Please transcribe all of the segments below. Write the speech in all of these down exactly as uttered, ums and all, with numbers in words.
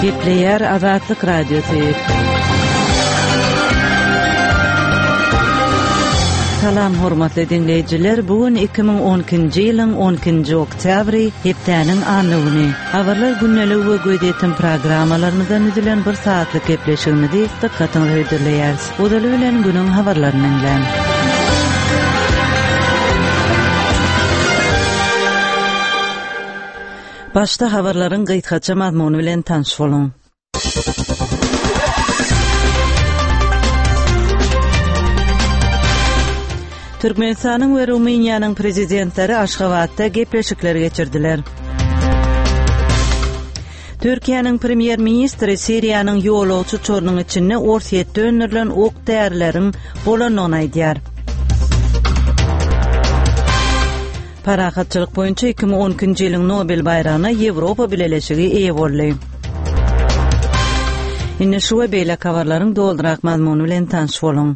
Gepleýär Azatlyk Radiosy. Salam hormatly diňleýjiler, bu gün iki müň on ikinji ýylyň on ikinji oktýabry, hepdäniň anna güni. Habarlar gündeligi we gözýetim programmalarymyzdan düzülen bir saatlyk gepleşigimizi dykgatyňyza hödürleýäris. Ozaly bilen günüň habarlaryny diňläň. Başda habarlaryň gysgaça mazmuny bilen tanyş boluň. Türkmenistanyň we Rumyniýanyň prezidentleri Aşgabatda gepleşikler geçirdiler. Türkiýäniň premýer-ministri Siriýanyň ýolagçy uçarynyň içinde Orsýetde öndürilen ok-därileriň bolandygyny aýdýar. Parahatçylyk boýunça iki müň on ikinji ýylyň Nobel baýragyna Ýewropa Bileleşigi eýe boldy. Indi şu we beýleki habarlaryň dolurak mazmuny bilen tanyş boluň.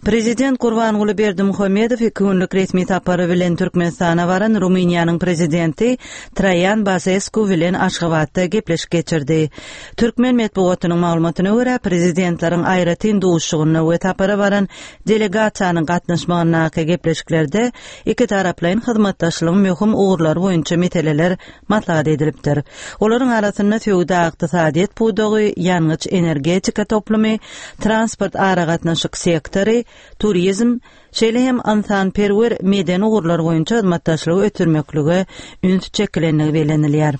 Prezident Gurbanguly Berdimuhamedow iki günlük resmi sapary bilen Türkmenistana baran Rumyniýanyň prezidenti Traýan Basesku bilen Aşgabatda gepleşik geçirdi. Türkmen metbugatynyň maglumatyna görä, prezidentleriň aýratyn duşuşygynda we sapara baran delegasiýanyň gatnaşmagyndaky gepleşiklerde iki taraplaýyn hyzmatdaşlygyň möhüm ugurlary boýunça meseleler maslahat edilipdir. Olaryň arasynda söwda-ykdysadyýet pudagy, ýangyç-energetika toplumy, transport aragatnaşyk sektory, turizm, şeýle hem ynsanperwer medeni ugurlar boýunça hyzmatdaşlygy ösdürmeklige üns çekilendigi bellenilýär.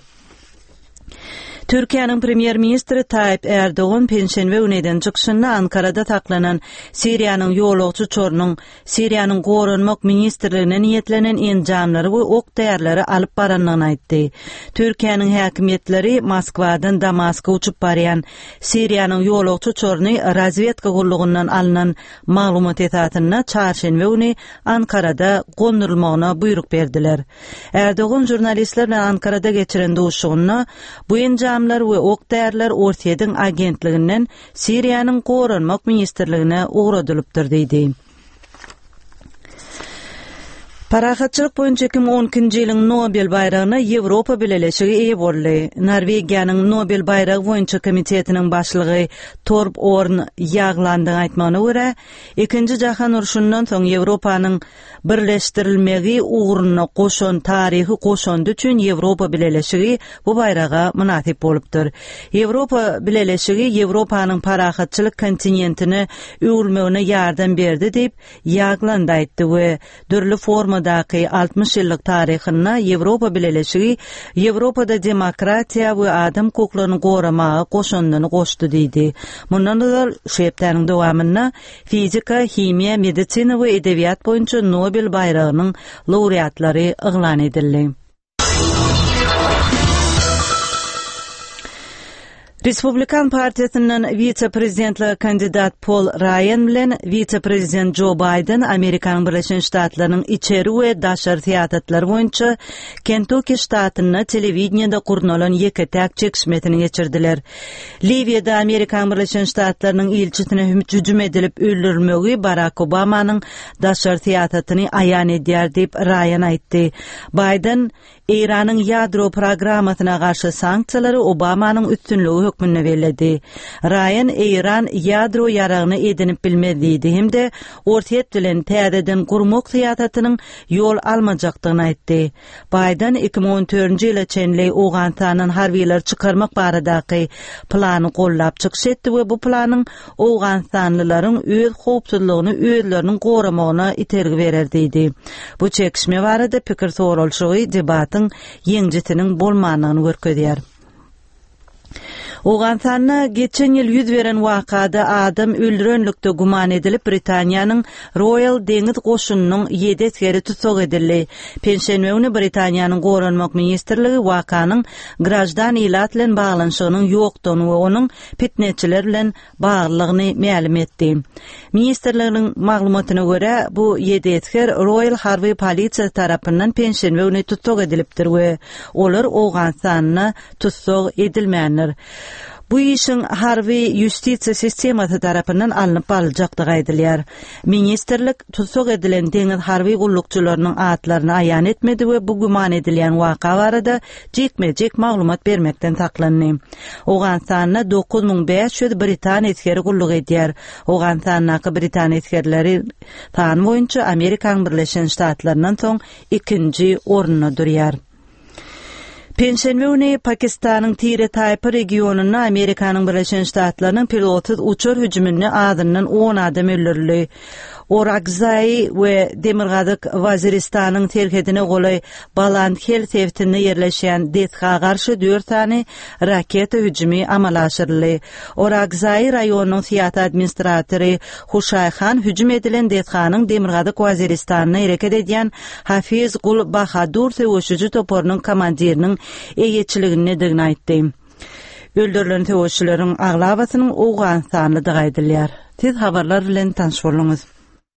Türkiýäniň premýer-ministri Taýyp Erdogan penşenbe güni eden çykyşynda Ankarada saklanan Siriýanyň ýolagçy uçarynyň Siriýanyň Goranmak ministrligine niýetlenen enjamlary we ok-därileri alyp barandygyny aýtdy. Türkiýäniň häkimiýetleri Moskwadan Damaska uçup barýan Siriýanyň ýolagçy uçaryny razwedka gullugyndan alnan maglumat esasynda çarşenbe güni Ankarada gondurylmagyna buýruk berdiler. Erdogan žurnalistler bilen Ankarada geçiren duşuşygynda bu enjamlar we ok-däriler Orsýetiň agentliginden Siriýanyň Goranmak ministrligine ugradylypdyr diýdi. Parahatçylyk boýunça iki müň on ikinji ýylyň Nobel baýragyna Ýewropa Bileleşigi eýe boldy. Norwegiýanyň Nobel baýragy boýunça komitetiniň başlygy Torb Orn Ýaglandyň aýtmagyna görä, Ikinji jahan urşundan soň Ýewropanyň birleşdirilmegi ugrunda goşan taryhy goşandy üçin Ýewropa Bileleşigi bu baýraga mynasyp bolupdyr. Ýewropa Bileleşigi Ýewropanyň parahatçylyk kontinentine öwrülmegine ýardam berdi diýip, Ýagland aýtdy we dürli formadaky altmyş ýyllyk taryhynda Ýewropa Bileleşigi Ýewropada demokratiýa we adam hukuklaryny goramaga goşandyny goşdy diýdi. Mundan ozal şu hepdäniň dowamynda fizika, himiýa, medisina we edebiýat boýunça Nobel baýragynyň laureatlary yglan edildi. Respublikan partiýasyndan wise-prezidentlige kandidat Paul Ryan bilen wise-prezident Joe Biden Amerikanyň Birleşen Ştatlarynyň içeri we daşary syýasatlary boýunça Kentucky ştatynda telewideniýede gurnalan ýeke-täk çekişmesini geçirdiler. Liwiýada Amerikanyň Birleşen Ştatlarynyň ilçisine hüjüm edilip öldürilmegi Barack Obamanyň daşary syýasatyny aýan edýär diýip Ryan aýtdy. Biden Eýranyň ýadro programmasyna garşy sanksiýalary Obamanyň üstünligi hökmünde belledi. Ryan Eýran ýadro ýaragyny edinip bilmez diýdi hem-de Orsýet bilen täzeden gurmak syýasatynyň ýol almajakdygyny aýtdy. Biden iki müň on dördünji ýyla çenli Owganystandan harbileri çykarmak baradaky plany gollap çykyş etdi we bu planyň Owganystanlylaryň öz howpsuzlygyny özleriniň goramagyna itergi berer diýdi. Bu çekişme barada pikir soralyşygy debatyň ýeňijisiniň bolmandygyny görkezýär. Owganystanda geçen ýyl ýüz beren wakada adam öldürenlikde güman edilip Britaniýanyň Royal Deňiz goşunynyň ýedi esgeri tussag edildi. Penşenbe güni Britaniýanyň Goranmak ministrligi wakanyň grajdan ilat bilen baglanyşygynyň ýokdugyny we onuň fitnetçiler bilen baglylygyny mälim etdi. Ministrliginiň maglumatyna görä, bu ýedi esger Royal Harby Polisiýasy tarapyndan penşenbe güni tussag edilipdir we olar Owganystanda tussag edilmändir. Bu işiň harby ýustisiýa sistemasy tarapyndan alnyp baryljakdygy aýdylýar. Ministrlik tussag edilen deňiz harby gullukçylarynyň atlaryny aýan etmedi we bu güman edilýän waka barada jikme-jik maglumat bermekden saklandy. Owganystanda dokuz müň bäş ýüz britan esgeri gulluk edýär. Owganystandaky britan esgerleri sany boýunça Amerikanyň Birleşen Ştatlaryndan soň ikinji orunda durýar. Penşenbe güni Pakistanyň tire-taýpa regionynda Amerikanyň Birleşen Ştatlarynyň pilotsyz uçar hüjüminde azyndan on adam öldürildi. Orakzaý we Demirgazyk Waziristanyň serhedine golaý Balandhel sebitinde ýerleşýän desga garşy dört sany raketa hüjümi amala aşyryldy. Orakzaý raýonynyň syýasy administratory Huşaý Han hüjüm edilen desganyň Demirgazyk Waziristanda hereket edýän Hafiz Gul Bahadur söweşiji toparynyň komandiriniň eýeçiligindedigini aýtdy. Öldürilen söweşçileriň aglabasynyň Owganystanlydygy aýdylýar. Siz habarlar bilen tanyş bolduňyz.